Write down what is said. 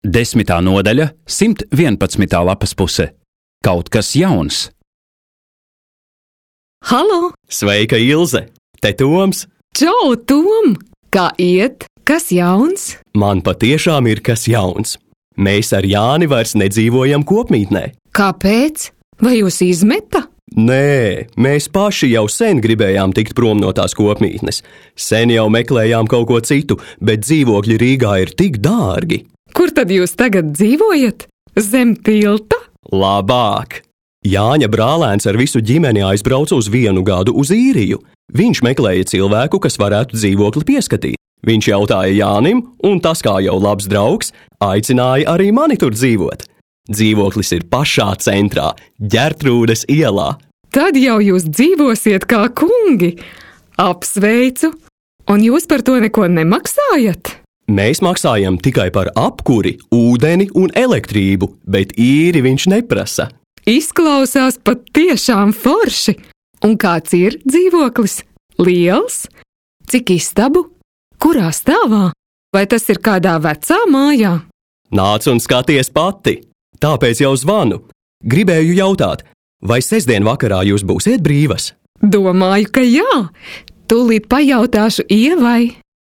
10. nodaļa, 111. lapas puse. Kaut kas jauns. Halo! Sveika, Ilze! Te Toms! Čau, Tom! Kā iet? Kas jauns? Man patiešām ir kas jauns. Mēs ar Jāni vairs nedzīvojam kopmītnē. Kāpēc? Vai jūs izmeta? Nē, mēs paši jau sen gribējām tikt prom no tās kopmītnes. Sen jau meklējām kaut ko citu, bet dzīvokļi Rīgā ir tik dārgi. Kur tad jūs tagad dzīvojat? Zem tilta? Labāk! Jāņa brālēns ar visu ģimeni aizbrauca uz 1 gadu uz Īriju. Viņš meklēja cilvēku, kas varētu dzīvokli pieskatīt. Viņš jautāja Jānim, un tas, kā jau labs draugs, aicināja arī mani tur dzīvot. Dzīvoklis ir pašā centrā, Ģertrūdes ielā. Tad jau jūs dzīvosiet kā kungi. Apsveicu! Un jūs par to neko nemaksājat? Mēs maksājam tikai par apkuri, ūdeni un elektrību, bet īri viņš neprasa. Izklausās pat tiešām forši. Un kāds ir dzīvoklis? Liels? Cik istabu? Kurā stāvā? Vai tas ir kādā vecā mājā? Nāc un skaties pati! Tāpēc jau zvanu. Gribēju jautāt, vai sestdien vakarā jūs būsiet brīvas? Domāju, ka jā. Tūlīt pajautāšu Ievai.